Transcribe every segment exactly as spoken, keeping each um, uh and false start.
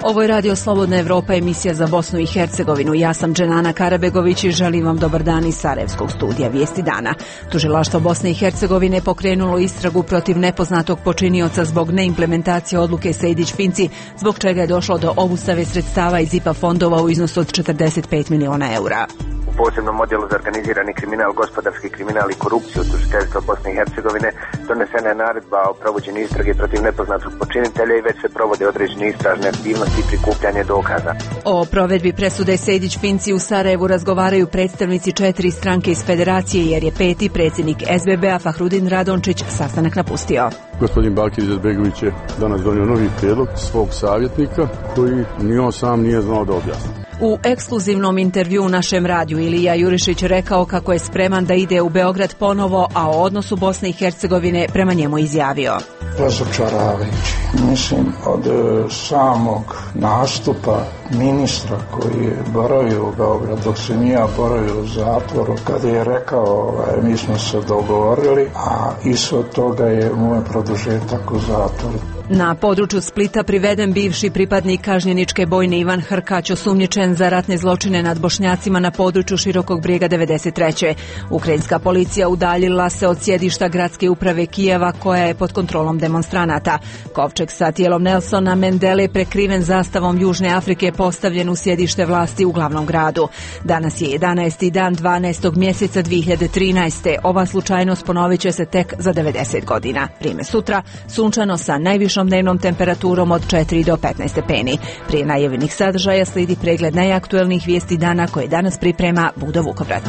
Ovo je Radio Slobodna Evropa, emisija za Bosnu i Hercegovinu. Ja sam Dženana Karabegović i želim vam dobar dan iz Sarajevskog studija Vijesti dana. Tužilaštvo Bosne i Hercegovine pokrenulo istragu protiv nepoznatog počinioca zbog neimplementacije odluke Sejdić-Finci, zbog čega je došlo do obustave sredstava iz I P A fondova u iznosu od četrdeset pet miliona eura. U posebnom odjelu za organizirani kriminal, gospodarski kriminal i korupciju tužiteljstva Bosne i Hercegovine donesena je naredba o provođenju istrage protiv nepoznatog počinitelja i već se provode određene istražne aktivnosti i prikupljanje dokaza. O provedbi presude Sejdić-Finci u Sarajevu razgovaraju predstavnici četiri stranke iz federacije, jer je peti predsjednik S B B-a Fahrudin Radončić sastanak napustio. Gospodin Bakir Izetbegović je danas donio novi prijedlog svog savjetnika koji ni on sam nije znao da objasni. U ekskluzivnom intervju u našem radiju Ilija Jurišić rekao kako je spreman da ide u Beograd ponovo, a o odnosu Bosne i Hercegovine prema njemu izjavio. Razočaravajući. Mislim, od samog nastupa ministra koji je boravio u Beograd, dok se nije boravio u zatvoru, kada je rekao ovaj, mi smo se dogovorili, a ishod toga je moj produžetak u zatvoru. Na području Splita priveden bivši pripadnik kažnjeničke bojne Ivan Hrkać, osumnjičen za ratne zločine nad Bošnjacima na području Širokog Brijega devedeset treće. Ukrajinska policija udaljila se od sjedišta gradske uprave Kijeva, koja je pod kontrolom demonstranata. Kovčeg sa tijelom Nelsona Mandele, prekriven zastavom Južne Afrike, postavljen u sjedište vlasti u glavnom gradu. Danas je jedanaesti dan dvanaestog mjeseca dvije hiljade trinaeste. Ova slučajnost ponovit će se tek za devedeset godina. Vrijeme sutra, sunčano sa najvišom dnevnom temperaturom od četiri do petnaest stepeni. Prije najavljenih sadržaja slijedi pregled najaktuelnijih vijesti dana koje danas priprema Budo Vukovrat.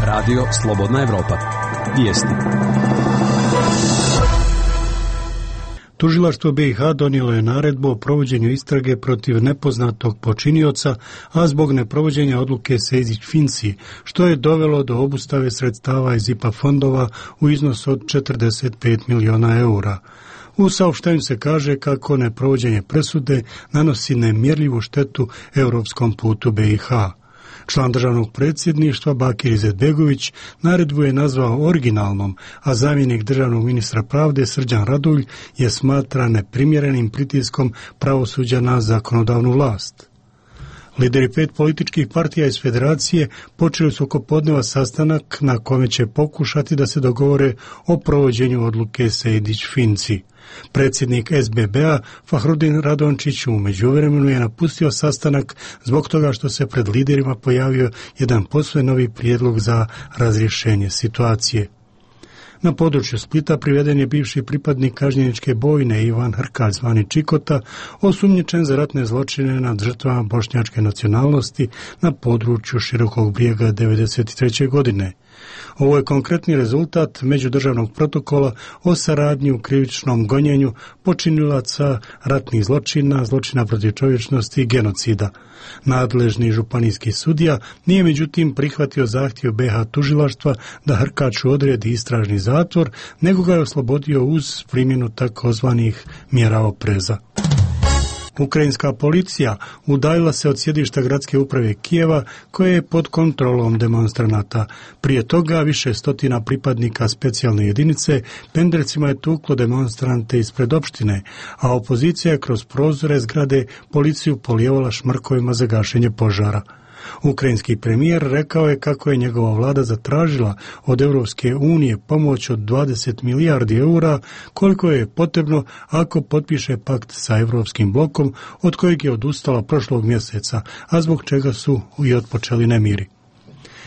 Radio Slobodna Evropa. Vijesti. Tužilaštvo B i H donijelo je naredbu o provođenju istrage protiv nepoznatog počinioca, a zbog neprovođenja odluke Sejdić-Finci, što je dovelo do obustave sredstava iz I P A fondova u iznosu od četrdeset pet miliona eura. U saopštenju se kaže kako neprovođenje presude nanosi nemjerljivu štetu europskom putu B i H. Član državnog predsjedništva Bakir Izetbegović naredbu je nazvao originalnom, a zamjenik državnog ministra pravde Srđan Radulj je smatra neprimjerenim pritiskom pravosuđa na zakonodavnu vlast. Lideri pet političkih partija iz federacije počeli su oko podneva sastanak na kome će pokušati da se dogovore o provođenju odluke Sejdić-Finci. Predsjednik S B B-a Fahrudin Radončić u međuvremenu je napustio sastanak zbog toga što se pred liderima pojavio jedan posve novi prijedlog za razrješenje situacije. Na području Splita priveden je bivši pripadnik kažnjeničke bojne Ivan Hrkać zvani Čikota, osumnjičen za ratne zločine nad žrtvama bošnjačke nacionalnosti na području Širokog Brijega devedeset treće godine. Ovo je konkretni rezultat međudržavnog protokola o saradnji u krivičnom gonjenju počinilaca ratnih zločina, zločina protiv čovječnosti i genocida. Nadležni županijski sudija nije međutim prihvatio zahtjev B H tužilaštva da Hrkaču odredi istražni zatvor, nego ga je oslobodio uz primjenu takozvanih mjera opreza. Ukrajinska policija udaljila se od sjedišta gradske uprave Kijeva, koje je pod kontrolom demonstranata. Prije toga više stotina pripadnika specijalne jedinice pendrecima je tuklo demonstrante ispred opštine, a opozicija je kroz prozore zgrade policiju polijevala šmrkovima za gašenje požara. Ukrajinski premijer rekao je kako je njegova vlada zatražila od Europske unije pomoć od dvadeset milijardi eura, koliko je potrebno ako potpiše pakt sa Europskim blokom, od kojeg je odustala prošlog mjeseca, a zbog čega su i otpočeli nemiri.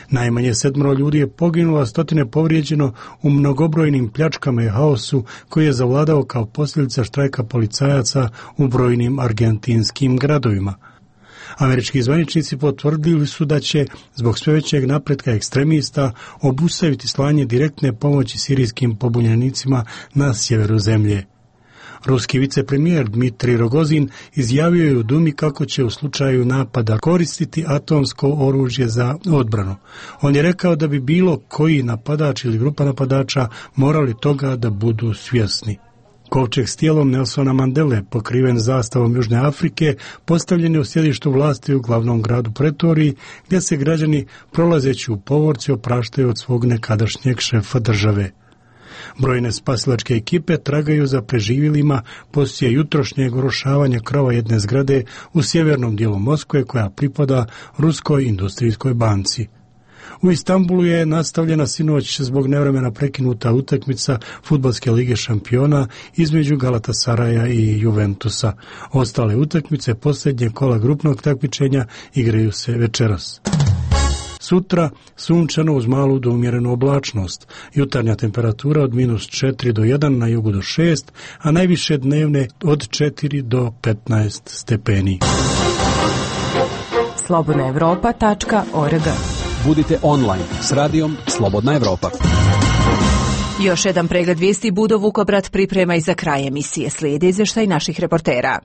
Najmanje sedmero ljudi je poginulo, a stotine povrijeđeno u mnogobrojnim pljačkama i haosu koji je zavladao kao posljedica štrajka policajaca u brojnim argentinskim gradovima. Američki zvaničnici potvrdili su da će, zbog sve većeg napretka ekstremista, obustaviti slanje direktne pomoći sirijskim pobunjenicima na sjeveru zemlje. Ruski vicepremijer Dmitrij Rogozin izjavio je u Dumi kako će u slučaju napada koristiti atomsko oružje za odbranu. On je rekao da bi bilo koji napadač ili grupa napadača morali toga da budu svjesni. Kovčeg s tijelom Nelsona Mandele, pokriven zastavom Južne Afrike, postavljen je u sjedištu vlasti u glavnom gradu Pretoriji, gdje se građani prolazeći u povorci opraštaju od svog nekadašnjeg šefa države. Brojne spasilačke ekipe tragaju za preživjelima poslije jutrošnjeg urušavanja krova jedne zgrade u sjevernom dijelu Moskve koja pripada Ruskoj industrijskoj banci. U Istanbulu je nastavljena sinoć zbog nevremena prekinuta utakmica Fudbalske lige šampiona između Galatasaraja i Juventusa. Ostale utakmice posljednje kola grupnog takmičenja igraju se večeras. Sutra sunčano uz malu do umjerenu oblačnost. Jutarnja temperatura od minus četiri do jedan, na jugu do šest, a najviše dnevne od četiri do petnaest stepeni. slobodna evropa tačka org. Budite online s radijom Slobodna Evropa. Još jedan pregled vijesti Budo Vukobrat priprema i za kraj emisije. Slijedi izvještaj naših reportera.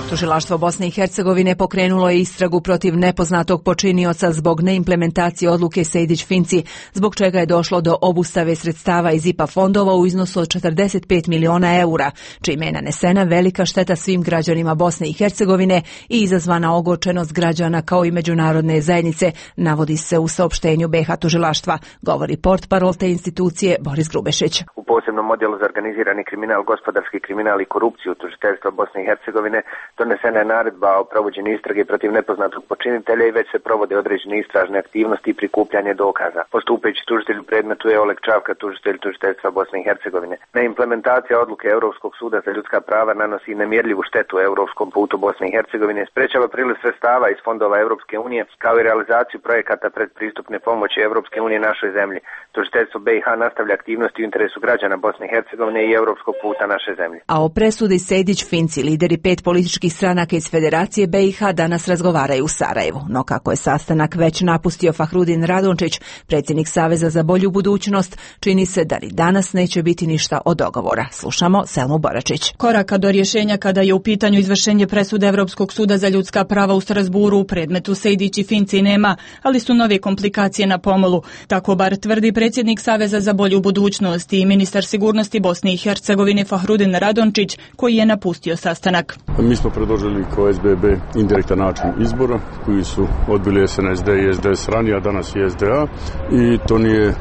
Tužilaštvo Bosne i Hercegovine pokrenulo je istragu protiv nepoznatog počinioca zbog neimplementacije odluke Sejdić-Finci, zbog čega je došlo do obustave sredstava iz I P A fondova u iznosu od četrdeset pet miliona eura, čime je nanesena velika šteta svim građanima Bosne i Hercegovine i izazvana ogorčenost građana kao i međunarodne zajednice, navodi se u saopštenju B iH tužilaštva, govori portparol te institucije Boris Grubešić. U posebnom odjelu za organizirani kriminal, gospodarski kriminal i korupciju tužiteljstva Bosne i Hercegovine donesena je naredba o provođenju istrage protiv nepoznatog počinitelja i već se provode određene istražne aktivnosti i prikupljanje dokaza. Postupajući tužitelj u predmetu je Oleg Čavka, tužitelj tužiteljstva Bosne i Hercegovine. Neimplementacija odluke Europskog suda za ljudska prava nanosi nemjerljivu štetu europskom putu Bosne i Hercegovine, sprečava priliv sredstava iz fondova Europske unije kao i realizaciju projekata predpristupne pomoći Europske unije našoj zemlji. Tužiteljstvo B iH nastavlja aktivnosti u interesu građana Bosne i Hercegovine i europskog puta naše zemlje. A o presudi Sejdić-Finci lideri pet političkih stranaka iz Federacije B iH danas razgovaraju u Sarajevu. No kako je sastanak već napustio Fahrudin Radončić, predsjednik Saveza za bolju budućnost, čini se da ni danas neće biti ništa od dogovora. Slušamo Selmu Boračić. Koraka do rješenja kada je u pitanju izvršenje presude Europskog suda za ljudska prava u Strasburu u predmetu Sejdić i Finci nema, ali su nove komplikacije na pomolu. Tako bar tvrdi predsjednik Saveza za bolju budućnost i ministar sigurnosti Bosne i Hercegovine Fahrudin Radončić, koji je napustio sastanak. Mi smo predložili kao S B B indirektan način izbora koji su odbili S N S D i S D S ranije, a danas i S D A, i to nije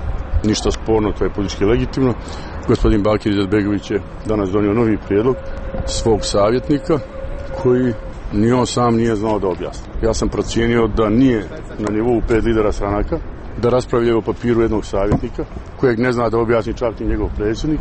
ništa sporno, to je politički legitimno. Gospodin Bakir Izetbegović je danas donio novi prijedlog svog savjetnika koji ni on sam nije znao da objasni. Ja sam procijenio da nije na nivou pet lidera stranaka da raspravljaju o papiru jednog savjetnika kojeg ne zna da objasni čak i njegov predsjednik.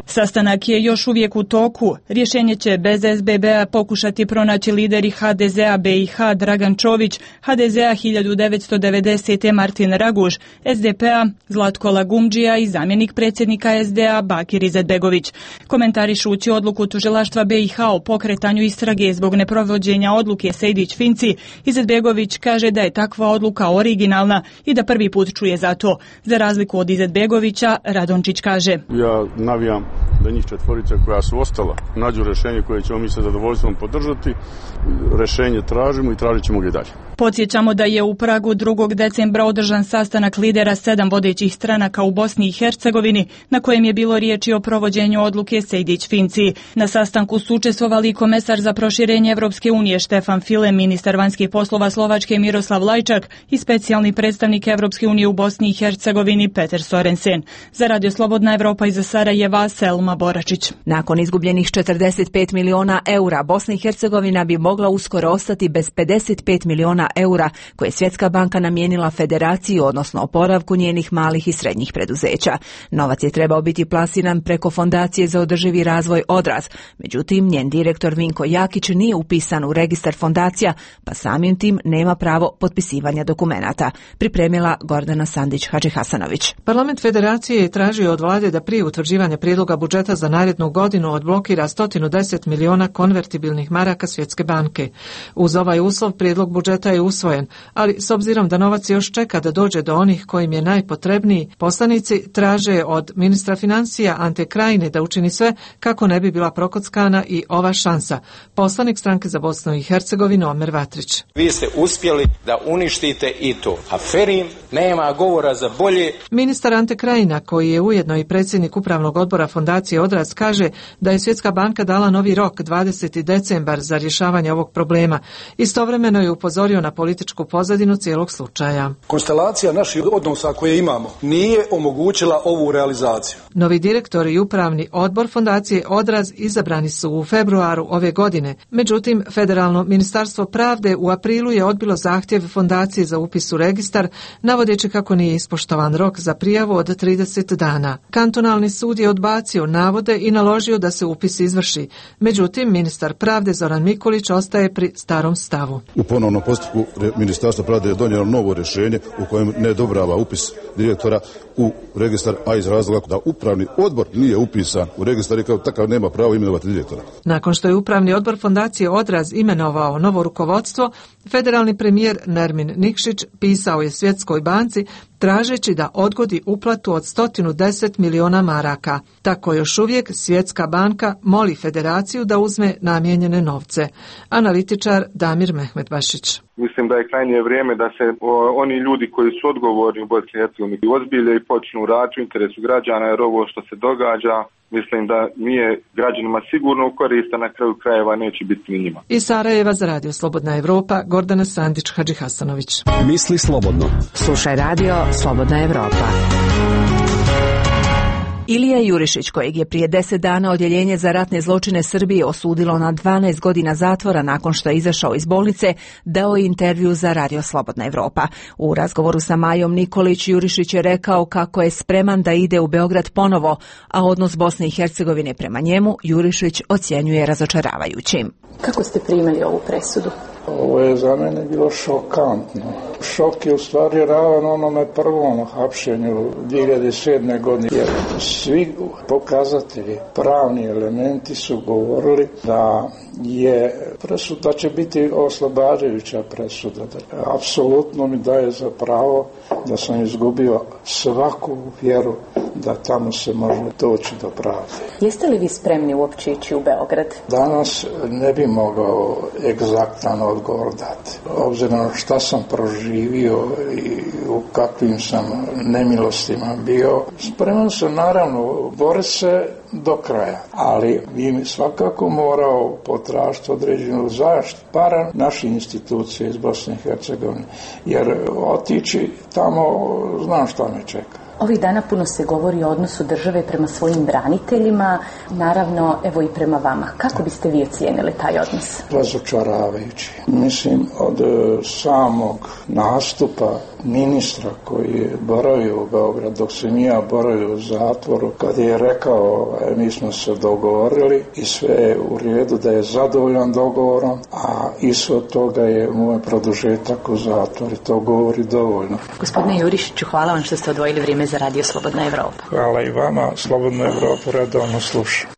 Sastanak je još uvijek u toku. Rješenje će bez S B B-a pokušati pronaći lideri H D Z-a B iH Dragan Čović, H D Z-a hiljadu devetsto devedesete Martin Raguž, S D P-a Zlatko Lagumdžija i zamjenik predsjednika S D A Bakir Izetbegović. Komentarišući odluku tužilaštva B iH o pokretanju istrage zbog neprovođenja odluke Sejdić-Finci, Izetbegović kaže da je takva odluka originalna i da prvi put čuje za to. Za razliku od Izetbegovića, Radončić kaže: Ja navijam da njih četvorica koja su ostala nađu rješenje koje ćemo mi sa zadovoljstvom podržati. Rješenje tražimo i tražit ćemo ga i dalje. Podsjećamo da je u Pragu drugog decembra održan sastanak lidera sedam vodećih stranaka u Bosni i Hercegovini, na kojem je bilo riječi o provođenju odluke Sejdić-Finci. Na sastanku su učestvovali komesar za proširenje Evropske unije Štefan File, ministar vanjskih poslova Slovačke Miroslav Lajčak i specijalni predstavnik Evropske unije u Bosni i Hercegovini Peter Sorensen. Za Radio Slobodna Evropa iz Sarajeva, Selma Boračić. Nakon izgubljenih četrdeset pet miliona eura, Bosna i Hercegovina bi mogla uskoro ostati bez pedeset pet miliona eura koje je Svjetska banka namijenila Federaciji, odnosno oporavku njenih malih i srednjih preduzeća. Novac je trebao biti plasiran preko Fondacije za održivi razvoj Odraz. Međutim, njen direktor Vinko Jakić nije upisan u registar fondacija, pa samim tim nema pravo potpisivanja dokumenata. Pripremila Gordana Sandić-Hadžihasanović. Parlament Federacije je tražio od vlade da prije utvrđivanja prijedloga budžeta za narednu godinu odblokira sto deset miliona konvertibilnih maraka Svjetske banke. Uz ovaj uslov prijedlog budžeta je usvojen, ali s obzirom da novac još čeka da dođe do onih kojim je najpotrebniji, poslanici traže od ministra financija Ante Krajine da učini sve kako ne bi bila prokockana i ova šansa. Poslanik Stranke za Bosnu i Hercegovinu Omer Vatrić. Vi ste uspjeli da uništite i to. Aferin ne nema govora za bolje. Ministar Ante Krajina, koji je ujedno i predsjednik upravnog odbora Fondacije Odraz, kaže da je Svjetska banka dala novi rok dvadeseti decembar za rješavanje ovog problema. Istovremeno je upozorio na političku pozadinu cijelog slučaja. Konstelacija naših odnosa koje imamo nije omogućila ovu realizaciju. Novi direktor i upravni odbor Fondacije Odraz izabrani su u februaru ove godine. Međutim, Federalno ministarstvo pravde u aprilu je odbilo zahtjev Fondacije za upis u registar, navodeći kako nije ispoštovan rok za prijavu od trideset dana. Kantonalni sud je odbacio navode i naložio da se upis izvrši. Međutim, ministar pravde Zoran Mikulić ostaje pri starom stavu. U ponovnom postupku Ministarstvo pravde je donijelo novo rješenje u kojem ne odobrava upis direktora u registar, a iz razloga da upravni odbor nije upisan u registar i kao takav nema pravo imenovati direktora. Nakon što je upravni odbor Fondacije Odraz imenovao novo rukovodstvo, federalni premijer Nermin Nikšić pisao je Svjetskoj banci tražeći da odgodi uplatu od sto deset miliona maraka. Tako još uvijek Svjetska banka moli federaciju da uzme namijenjene novce. Analitičar Damir Mehmetbašić. Mislim da je krajnje vrijeme da se o, oni ljudi koji su odgovorni u Bosni i Hercegovini ozbilje i počnu raditi u interesu građana, jer ovo što se događa mislim da nije građanima sigurno u korist, a na kraju krajeva neće biti ni njima. Iz Sarajeva za Radio Slobodna Evropa, Gordana Sandić Hadžihasanović. Misli slobodno. Slušaj Radio Slobodna Evropa. Ilija Jurišić, kojeg je prije deset dana Odjeljenje za ratne zločine Srbije osudilo na dvanaest godina zatvora nakon što je izašao iz bolnice, dao je intervju za Radio Slobodna Evropa. U razgovoru sa Majom Nikolić, Jurišić je rekao kako je spreman da ide u Beograd ponovo, a odnos Bosne i Hercegovine prema njemu Jurišić ocjenjuje razočaravajućim. Kako ste primili ovu presudu? Ovo je za mene bilo šokantno. Šok je u stvari ravan onome prvom hapšenju dvije hiljade sedme. godine. Jer svi pokazatelji, pravni elementi su govorili da je presuda, da će biti oslobađajuća presuda. Apsolutno mi daje za pravo da sam izgubio svaku vjeru da tamo se može doći do pravde. Jeste li vi spremni uopće ići u Beograd? Danas ne bi mogao egzaktan odgovor dati. Obzirom na šta sam proživio i u kakvim sam nemilostima bio, spreman sam naravno boriti se do kraja, ali bi svakako morao potražiti određenu zaštitu para naših institucija iz Bosne i Hercegovine, jer otići tamo znam šta me čeka. Ovih dana puno se govori o odnosu države prema svojim braniteljima, naravno evo i prema vama. Kako biste vi ocijenili taj odnos? Razočaravajući. Mislim, od samog nastupa ministra koji je boravio u Beograd, dok sam ja boravio u zatvoru, kad je rekao mi smo se dogovorili i sve je u redu, da je zadovoljan dogovorom, a ishod toga je moj produžetak u zatvor i to govori dovoljno. Gospodine Jurišiću, hvala vam što ste odvojili vrijeme za Radio Slobodna Evropa. Hvala i vama, Slobodna Evropa redovno slušam.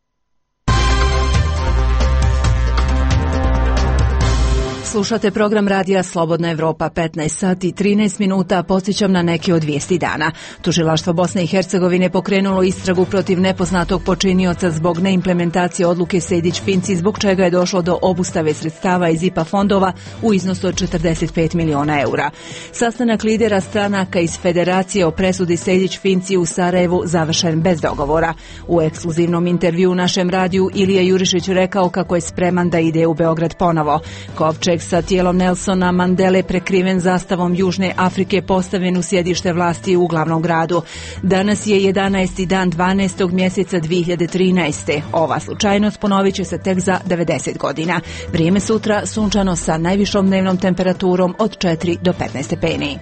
Slušate program Radija Slobodna Evropa, petnaest sati i trinaest minuta, podsjećam na neke od vijesti dana. Tužilaštvo Bosne i Hercegovine pokrenulo istragu protiv nepoznatog počinioca zbog neimplementacije odluke Sejdić-Finci, zbog čega je došlo do obustave sredstava iz I P A fondova u iznosu od četrdeset pet miliona eura. Sastanak lidera stranaka iz Federacije o presudi Sejdić-Finci u Sarajevu završen bez dogovora. U ekskluzivnom intervju u našem radiju Ilija Jurišić rekao kako je spreman da ide u Beograd ponovo. Kovčeg sa tijelom Nelsona Mandele prekriven zastavom Južne Afrike postavljen u sjedište vlasti u glavnom gradu. Danas je jedanaesti dan dvanaestog mjeseca dvije hiljade trinaeste. Ova slučajnost ponovit će se tek za devedeset godina. Vrijeme sutra sunčano sa najvišom dnevnom temperaturom od četiri do petnaest stepeni.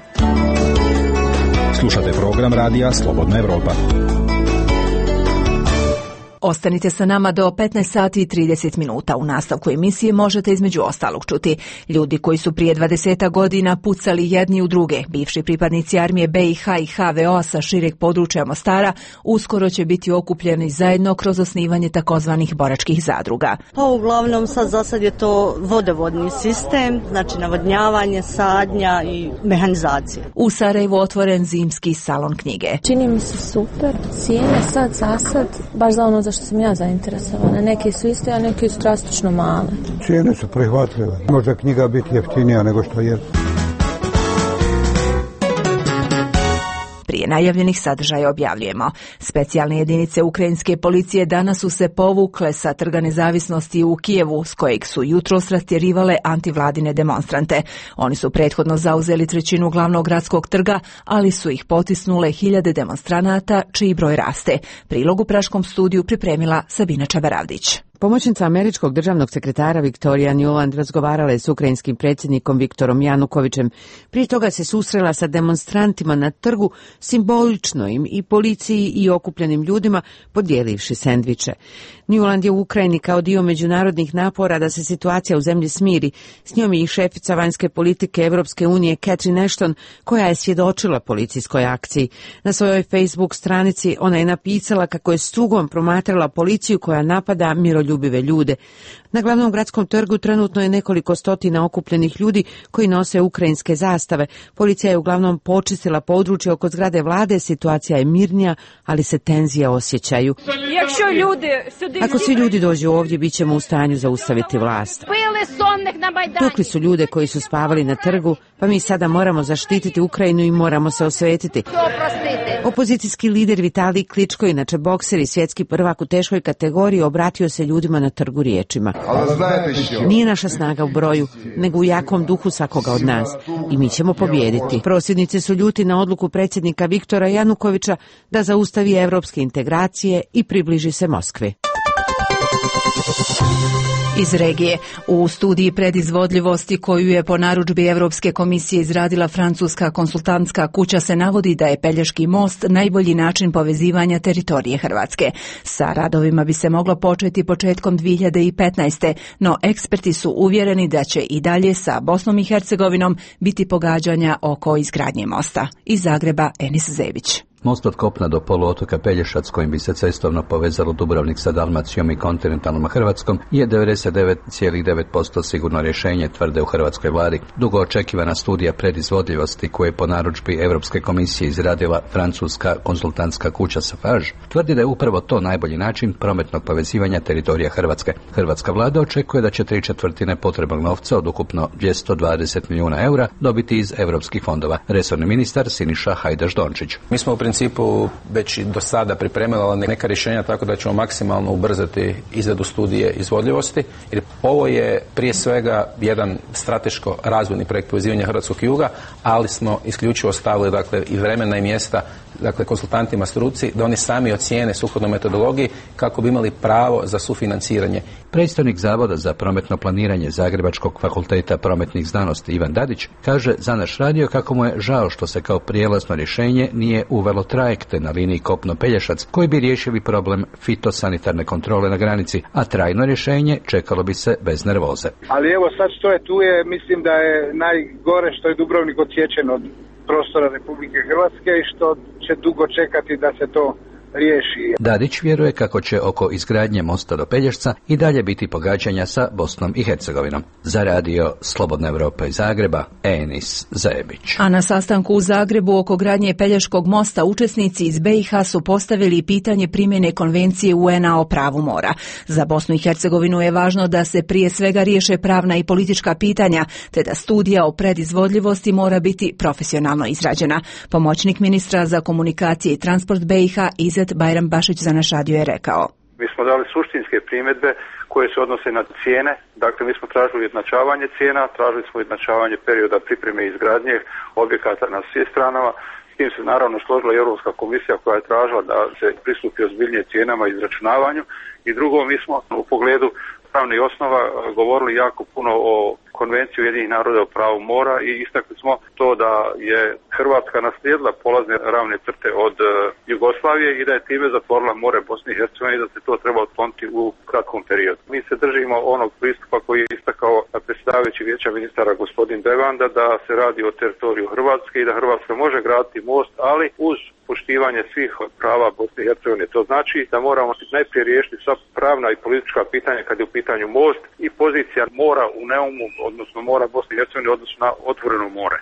Slušate program Radija Slobodna Evropa. Ostanite sa nama do petnaest sati i trideset minuta. U nastavku emisije možete između ostalog čuti ljudi koji su prije dvadeset godina pucali jedni u druge. Bivši pripadnici armije B i H i H V O sa šireg područja Mostara uskoro će biti okupljeni zajedno kroz osnivanje takozvanih boračkih zadruga. Pa uglavnom sad za sad je to vodovodni sistem, znači navodnjavanje, sadnja i mehanizacija. U Sarajevu otvoren zimski salon knjige. Čini mi se super. Cijene sad za sad baš za ono za što sam ja zainteresovana. Neke su iste, a neke su drastično male. Cijene su prihvatljive. Može knjiga biti jeftinija nego što je. Prije najavljenih sadržaja objavljujemo. Specijalne jedinice ukrajinske policije danas su se povukle sa Trga nezavisnosti u Kijevu, s kojeg su jutros rastjerivale antivladine demonstrante. Oni su prethodno zauzeli trećinu glavnog gradskog trga, ali su ih potisnule hiljade demonstranata, čiji broj raste. Prilog u Praškom studiju pripremila Sabina Čabaravdić. Pomoćnica američkog državnog sekretara Victoria Nuland razgovarala je s ukrajinskim predsjednikom Viktorom Janukovićem. Prije toga se susrela sa demonstrantima na trgu, simbolično im i policiji i okupljenim ljudima podijelivši sendviče. Nuland je u Ukrajini kao dio međunarodnih napora da se situacija u zemlji smiri. S njom je i šefica vanjske politike Evropske unije Catherine Ashton, koja je svjedočila policijskoj akciji. Na svojoj Facebook stranici ona je napisala kako je s tugom promatrala policiju koja napada miroljubive ljude. Na glavnom gradskom trgu trenutno je nekoliko stotina okupljenih ljudi koji nose ukrajinske zastave. Policija je uglavnom počistila područje oko zgrade vlade, situacija je mirnija, ali se tenzije osjećaju. Ako svi ljudi dođu ovdje, bit ćemo u stanju zaustaviti vlast. Tukli su ljude koji su spavali na trgu, pa mi sada moramo zaštititi Ukrajinu i moramo se osvetiti. Opozicijski lider Vitalij Kličko, inače bokser i svjetski prvak u teškoj kategoriji, obratio se ljudima na trgu riječima. Nije naša snaga u broju, nego u jakom duhu svakoga od nas. I mi ćemo pobijediti. Prosvjednici su ljuti na odluku predsjednika Viktora Janukovića da zaustavi evropske integracije i približi se Moskvi. Iz regije. U studiji predizvodljivosti koju je po narudžbi Europske komisije izradila francuska konsultantska kuća se navodi da je Pelješki most najbolji način povezivanja teritorije Hrvatske. Sa radovima bi se moglo početi početkom dvije hiljade petnaeste. no eksperti su uvjereni da će i dalje sa Bosnom i Hercegovinom biti pogađanja oko izgradnje mosta. Iz Zagreba Enis Zebić. Most od kopna do poluotoka Pelješac, kojim bi se cestovno povezalo Dubrovnik sa Dalmacijom i kontinentalnom Hrvatskom, je devedeset devet zarez devet posto sigurno rješenje, tvrde u hrvatskoj vladi. Dugo očekivana studija predizvodljivosti koju je po narudžbi Europske komisije izradila francuska konzultantska kuća Safage tvrdi da je upravo to najbolji način prometnog povezivanja teritorija Hrvatske. Hrvatska vlada očekuje da će tri četvrtine potrebnog novca od ukupno dvjesto dvadeset milijuna eura dobiti iz europskih fondova. Resorni ministar Siniša Hajdaš Dončić. Mi smo u principu već i do sada pripremila neka rješenja tako da ćemo maksimalno ubrzati izradu studije izvodljivosti, jer ovo je prije svega jedan strateško razvojni projekt povezivanja hrvatskog juga, ali smo isključivo stavili dakle i vremena i mjesta dakle konsultantima struci da oni sami ocijene sukladno metodologiji kako bi imali pravo za sufinanciranje. Predstavnik Zavoda za prometno planiranje Zagrebačkog fakulteta prometnih znanosti Ivan Dadić kaže za naš radio kako mu je žao što se kao prijelazno rješenje nije uvelo trajekte na liniji Kopno-Pelješac koji bi riješili problem fitosanitarne kontrole na granici, a trajno rješenje čekalo bi se bez nervoze. Ali evo sad što je tu je, mislim da je najgore što je Dubrovnik odsječen od prostora Republike Hrvatske i što će dugo čekati da se to riješi. Dadić vjeruje kako će oko izgradnje mosta do Pelješca i dalje biti pogađanja sa Bosnom i Hercegovinom. Za radio Slobodna Evropa iz Zagreba, Enis Zebić. A na sastanku u Zagrebu oko gradnje Pelješkog mosta učesnici iz be i ha su postavili pitanje primjene konvencije u en a o pravu mora. Za Bosnu i Hercegovinu je važno da se prije svega riješe pravna i politička pitanja, te da studija o predizvodljivosti mora biti profesionalno izrađena. Pomoćnik ministra za komunikacije i transport be i ha Izet Bajram Bašić za naš radio je rekao. Mi smo dali suštinske primjedbe koje se odnose na cijene. Dakle, mi smo tražili ujednačavanje cijena, tražili smo ujednačavanje perioda pripreme i izgradnje objekata na svim stranama. S tim se naravno složila i Europska komisija koja je tražila da se pristupi ozbiljnije cijenama i izračunavanju. I drugo, mi smo u pogledu pravnih osnova govorili jako puno o Konvenciji Ujedinjenih naroda o pravu mora i istakli smo to da je Hrvatska naslijedila polazne ravne crte od uh, Jugoslavije i da je time zatvorila more Bosne i Hercegovine i da se to treba otkloniti u kratkom periodu. Mi se držimo onog pristupa koji je istakao predsjedavajući vijeća ministara gospodin Devanda da se radi o teritoriju Hrvatske i da Hrvatska može graditi most, ali uz poštivanje svih prava Bosne i Hercegovine. To znači da moramo najprije riješiti sva pravna i politička pitanja kad je u pitanju most i pozicija mora u Neumu, odnosno mora Bosne i Hercegovine, odnosno na otvoreno more.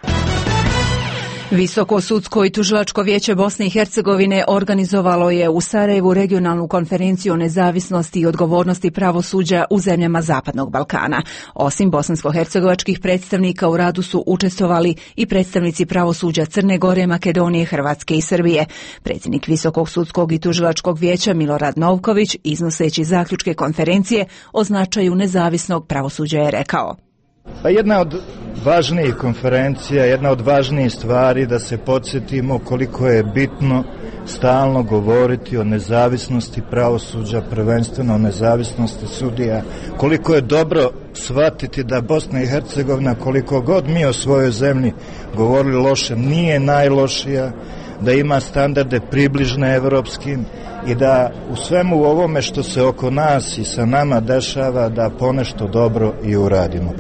Visoko sudsko i tužilačko vijeće Bosne i Hercegovine organizovalo je u Sarajevu regionalnu konferenciju o nezavisnosti i odgovornosti pravosuđa u zemljama Zapadnog Balkana. Osim bosansko-hercegovačkih predstavnika u radu su učestvovali i predstavnici pravosuđa Crne Gore, Makedonije, Hrvatske i Srbije. Predsjednik Visokog sudskog i tužilačkog vijeća Milorad Novković, iznoseći zaključke konferencije o značaju nezavisnog pravosuđa, je rekao: Pa jedna od važnijih konferencija, jedna od važnijih stvari da se podsjetimo koliko je bitno stalno govoriti o nezavisnosti pravosuđa, prvenstveno o nezavisnosti sudija, koliko je dobro shvatiti da Bosna i Hercegovina, koliko god mi o svojoj zemlji govorili loše, nije najlošija, da ima standarde približne evropskim i da u svemu ovome što se oko nas i sa nama dešava da ponešto dobro i uradimo.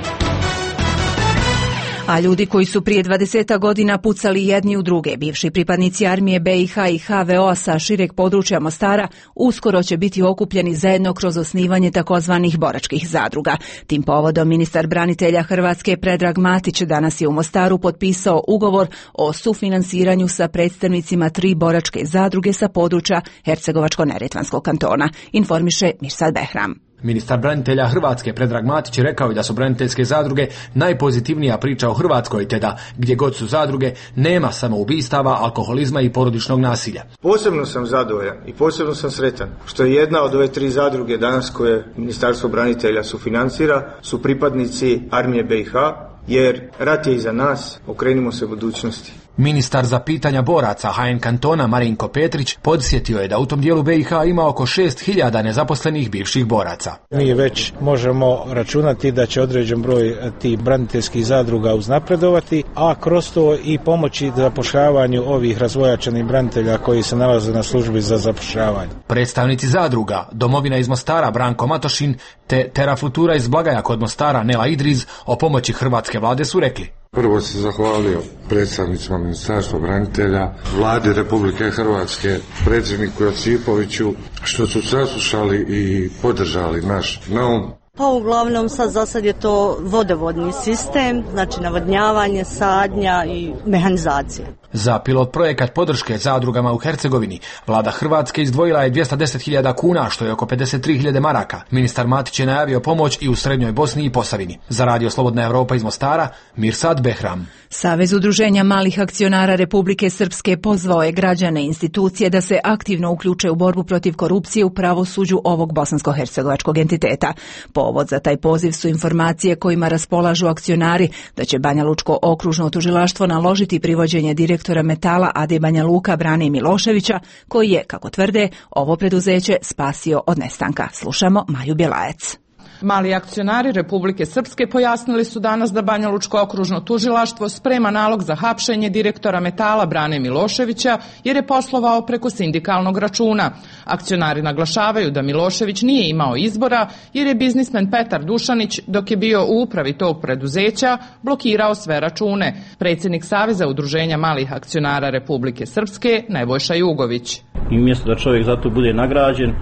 A ljudi koji su prije dvadeset godina pucali jedni u druge, bivši pripadnici armije B i H i H V O-a sa šireg područja Mostara, uskoro će biti okupljeni zajedno kroz osnivanje takozvanih boračkih zadruga. Tim povodom ministar branitelja Hrvatske Predrag Matić danas je u Mostaru potpisao ugovor o sufinansiranju sa predstavnicima tri boračke zadruge sa područja Hercegovačko-neretvanskog kantona, informiše Mirsad Behram. Ministar branitelja Hrvatske Predrag Matić rekao je da su braniteljske zadruge najpozitivnija priča o Hrvatskoj, te da gdje god su zadruge nema samoubistava, alkoholizma i porodičnog nasilja. Posebno sam zadovoljan i posebno sam sretan što je jedna od ove tri zadruge danas koje Ministarstvo branitelja sufinancira su pripadnici armije B i H, jer rat je iza nas, okrenimo se budućnosti. Ministar za pitanja boraca H N kantona Marinko Petrić podsjetio je da u tom dijelu B i H ima oko šest hiljada nezaposlenih bivših boraca. Mi već možemo računati da će određen broj tih braniteljskih zadruga uznapredovati, a kroz to i pomoći zapošljavanju ovih razvojačenih branitelja koji se nalaze na službi za zapošljavanje. Predstavnici zadruga, Domovina iz Mostara Branko Matošin te Terafutura iz Blagaja kod Mostara Nela Idriz o pomoći hrvatske vlade su rekli: Prvo se zahvalio predstavnicima Ministarstva branitelja, Vladi Republike Hrvatske, predsjedniku Josipoviću što su saslušali i podržali naš naum. Pa uglavnom sad za sad je to vodovodni sistem, znači navodnjavanje, sadnja i mehanizacija. Za pilot projekat podrške zadrugama u Hercegovini vlada Hrvatske izdvojila je dvjesto deset hiljada kuna, što je oko pedeset tri hiljade maraka. Ministar Matić je najavio pomoć i u Srednjoj Bosni i Posavini. Za Radio Slobodna Evropa iz Mostara, Mirsad Behram. Savez udruženja malih akcionara Republike Srpske pozvao je građane i institucije da se aktivno uključe u borbu protiv korupcije u pravosuđu ovog bosansko-hercegovačkog entiteta. Povod za taj poziv su informacije kojima raspolažu akcionari da će Banja Lučko okružno tužilaštvo naložiti privođenje direktora Metala A D Banja Luka Brane Miloševića, koji je, kako tvrde, ovo preduzeće spasio od nestanka. Slušamo Maju Bjelajac. Mali akcionari Republike Srpske pojasnili su danas da Banja Lučko okružno tužilaštvo sprema nalog za hapšenje direktora Metala Brane Miloševića jer je poslovao preko sindikalnog računa. Akcionari naglašavaju da Milošević nije imao izbora jer je biznismen Petar Dušanić, dok je bio u upravi tog preduzeća, blokirao sve račune. Predsjednik Saveza udruženja malih akcionara Republike Srpske Nebojša Jugović. I umjesto da čovjek zato bude nagrađen,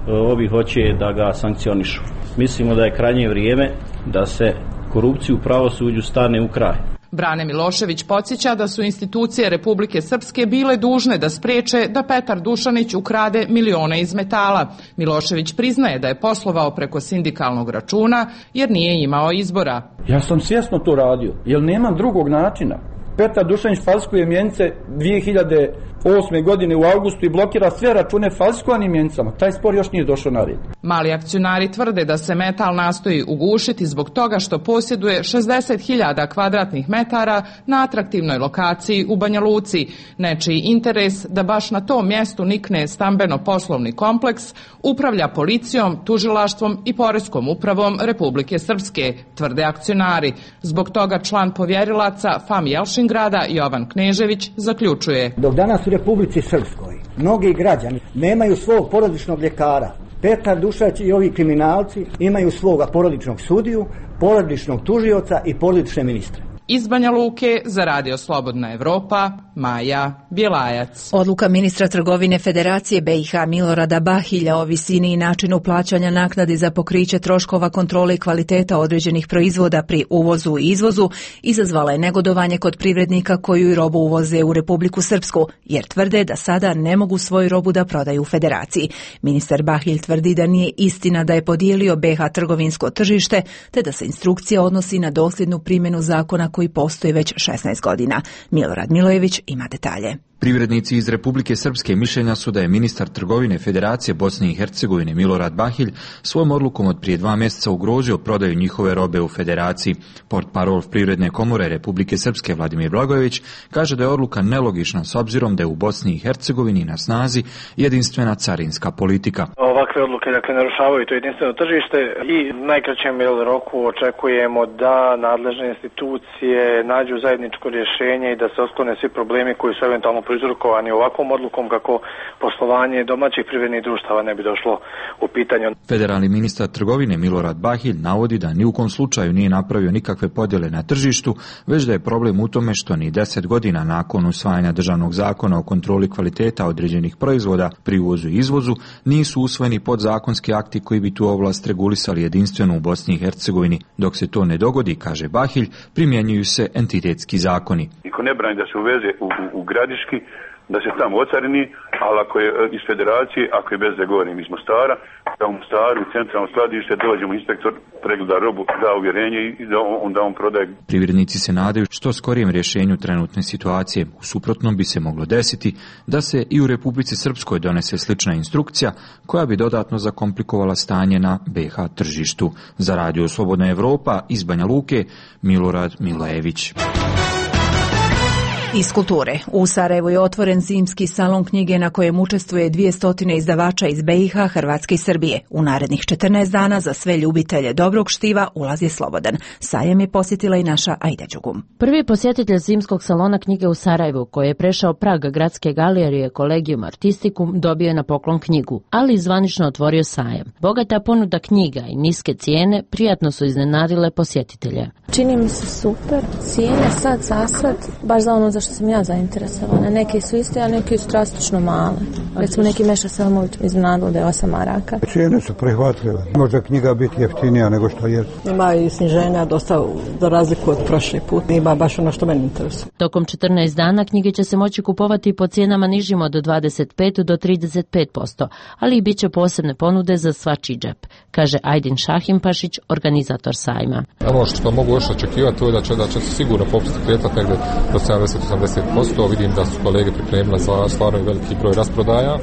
ovi hoće da ga sankcionišu. Mislimo da je krajnje vrijeme da se korupciju u pravosuđu stane u kraj. Brane Milošević podsjeća da su institucije Republike Srpske bile dužne da spriječe da Petar Dušanić ukrade milione iz Metala. Milošević priznaje da je poslovao preko sindikalnog računa jer nije imao izbora. Ja sam svjesno to radio, jer nemam drugog načina. Petar Dušanić falsikuje mjenice dvije hiljade osme godine u avgustu i blokira sve račune falsikovanim mjenicama. Taj spor još nije došao na red. Mali akcionari tvrde da se Metal nastoji ugušiti zbog toga što posjeduje šezdeset hiljada kvadratnih metara na atraktivnoj lokaciji u Banja Luci. Nečiji interes da baš na tom mjestu nikne stambeno-poslovni kompleks upravlja policijom, tužilaštvom i poreskom upravom Republike Srpske, tvrde akcionari. Zbog toga član povjerilaca F A M Jelšingrada Jovan Knežević zaključuje: Dok danas u Republici Srpskoj mnogi građani nemaju svog porodičnog ljekara, Petar Dušanić i ovi kriminalci imaju svoga porodičnog sudiju, porodičnog tužioca i porodične ministre. Iz Banja Luke za Radio Slobodna Evropa, Maja Bjelajac. Odluka ministra trgovine Federacije B i H Milorada Bahilja o visini i načinu plaćanja naknadi za pokriće troškova kontrole i kvaliteta određenih proizvoda pri uvozu i izvozu izazvala je negodovanje kod privrednika koju i robu uvoze u Republiku Srpsku, jer tvrde da sada ne mogu svoju robu da prodaju u Federaciji. Ministar Bahilj tvrdi da nije istina da je podijelio B H trgovinsko tržište, te da se instrukcija odnosi na dosljednu primjenu zakona koji postoji već šesnaest godina. Milorad Milojević ima detalje. Privrednici iz Republike Srpske mišljenja su da je ministar trgovine Federacije Bosne i Hercegovine Milorad Bahilj svojom odlukom od prije dva mjeseca ugrozio prodaju njihove robe u Federaciji. Portparol Privredne komore Republike Srpske Vladimir Blagojević kaže da je odluka nelogična s obzirom da je u Bosni i Hercegovini na snazi jedinstvena carinska politika. Ovakve odluke dakle narušavaju to jedinstveno tržište i u najkraćem roku očekujemo da nadležne institucije nađu zajedničko rješenje i da se otklone svi problemi koji su eventualno prouzrokovani ovakvom odlukom kako poslovanje domaćih privrednih društava ne bi došlo u pitanje. Federalni ministar trgovine Milorad Bahilj navodi da ni u kom slučaju nije napravio nikakve podjele na tržištu, već da je problem u tome što ni deset godina nakon usvajanja državnog zakona o kontroli kvaliteta određenih proizvoda pri uvozu i izvozu nisu usvojeni podzakonski akti koji bi tu ovlast regulisali jedinstveno u Bosni i Hercegovini. Dok se to ne dogodi, kaže Bahilj, primjenjuju se entitetski zakoni. Niko ne brani da se uveze u, u, u gradiški, da se tamo ocarini, ali ako je iz Federacije, ako je bez da govorim iz Mostara, da u Mostaru, u centralno skladište, dođemo inspektor, pregleda robu, da uvjerenje i da on, onda on prodaje. Privrednici se nadaju što skorijem rješenju trenutne situacije. U suprotnom bi se moglo desiti da se i u Republici Srpskoj donese slična instrukcija koja bi dodatno zakomplikovala stanje na B H tržištu. Za Radio Slobodna Evropa iz Banja Luke, Milorad Milojević. Iz kulture. U Sarajevu je otvoren zimski salon knjige na kojem učestvuje dvjesto izdavača iz B i H, Hrvatske i Srbije. U narednih četrnaest dana za sve ljubitelje dobrog štiva ulaz je slobodan. Sajam je posjetila i naša Aida Đugum. Prvi posjetitelj zimskog salona knjige u Sarajevu, koji je prešao prag gradske galerije Collegium Artisticum, dobio je na poklon knjigu, ali i zvanično otvorio sajam. Bogata ponuda knjiga i niske cijene prijatno su iznenadile posjetitelje. Čini mi se super. Cijene sad za sad, baš za ono za što sam ja zainteresovana. Neki su iste, a neki su drastično male. Recimo neki Meša Selmović iznenadilo da je osam maraka. Cijene su prihvatljive. Možda knjiga biti jeftinija nego što je. Ima i sniženja dosta za razliku od prošli put. Ima baš ono što meni interesuje. Tokom četrnaest dana knjige će se moći kupovati po cijenama nižim od dvadeset pet do trideset pet posto, ali i bit će posebne ponude za svačiji džep, kaže Ajdin Šahimpašić, organizator sajma. Ono što mogu još očekivati to je da će, da će se sigurno popust kretati negdje do sedamdeset do osamdeset posto. Vidim da su kolege pripremile za stvarno veliki broj rasprodaja,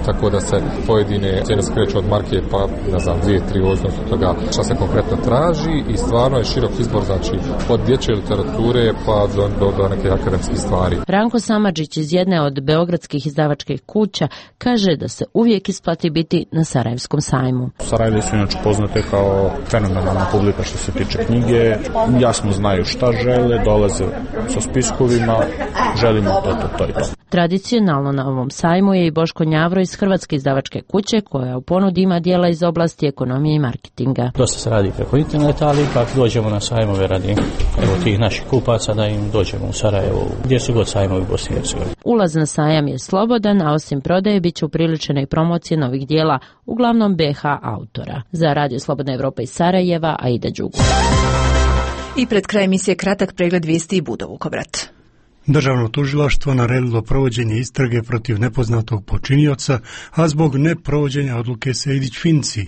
tako da se pojedine cijene skreću od marke pa ne znam dvije, tri ovisno od toga što se konkretno traži i stvarno je širok izbor, znači od dječje literature pa do, do, do neke akademskih stvari. Ranko Samadžić iz jedne od beogradskih izdavačkih kuća kaže da se uvijek isplati biti na Sarajevskom sajmu. Sarajevo su inače poznate kao fenomenalna publika što se tiče knjige, jasno znaju šta žele, dolaze sa spiskovima, želimo to, to, to i to. Tradicionalno na ovom sajmu je i Boško Njavro iz Hrvatske izdavačke kuće koja u ponudi ima dijela iz oblasti ekonomije i marketinga. Dosta se radi preko interneta, ali ipak dođemo na sajmove radi evo tih naših kupaca da im dođemo u Sarajevo, gdje su god sajmovi u Bosni i Hercegovini. Ulaz na sajam je slobodan, a osim prodaje bit će upriličene i promocije novih dijela, uglavnom B H autora. Za Radio Slobodna Evropa iz Sarajeva, Aida Đugu. I pred kraj emisije kratak pregled vijesti i Budo Vukovrat. Državno tužilaštvo naredilo provođenje istrage protiv nepoznatog počinioca, a zbog neprovođenja odluke Sejdić-Finci.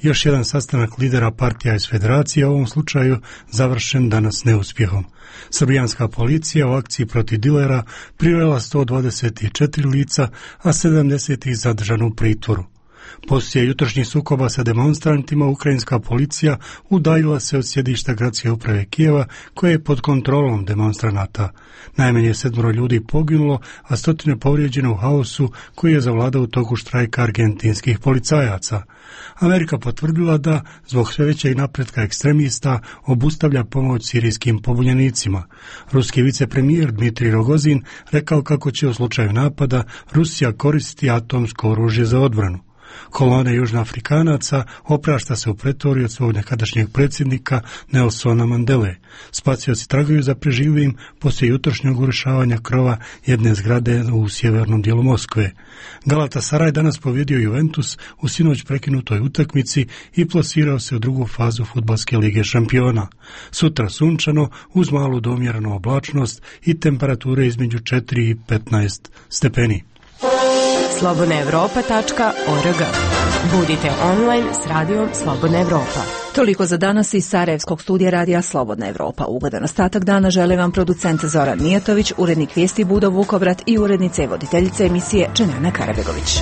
Još jedan sastanak lidera partija iz Federacije, u ovom slučaju završen danas neuspjehom. Srbijanska policija u akciji protiv dilera privela sto dvadeset četiri lica, a sedamdeset ih zadržano u pritvoru. Poslije jutrošnjih sukoba sa demonstrantima, ukrajinska policija udaljila se od sjedišta gradske uprave Kijeva, koje je pod kontrolom demonstranata. Najmanje sedmoro ljudi poginulo, a stotine povrijeđeno u haosu koji je zavladao u toku štrajka argentinskih policajaca. Amerika potvrdila da, zbog sve većeg napretka ekstremista, obustavlja pomoć sirijskim pobunjenicima. Ruski vicepremijer Dmitrij Rogozin rekao kako će u slučaju napada Rusija koristiti atomsko oružje za odbranu. Kolona Južnoafrikanaca oprašta se u Pretoriji od svog nekadašnjeg predsjednika Nelsona Mandele. Spasioci tragaju za preživljivim poslije jutrošnjeg urušavanja krova jedne zgrade u sjevernom dijelu Moskve. Galatasaray danas pobjedio Juventus u sinoć prekinutoj utakmici i plasirao se u drugu fazu Fudbalske lige šampiona. Sutra sunčano uz malu domjerenu oblačnost i temperature između četiri i petnaest stepeni. slobodna evropa tačka org. Budite online s radijom Slobodna Evropa. Toliko za danas iz Sarajevskog studija radija Slobodna Evropa. Ugodan ostatak dana žele vam producent Zoran Mijatović, urednik vijesti Budo Vukovrat i urednica i voditeljica emisije Čenjana Karabegović.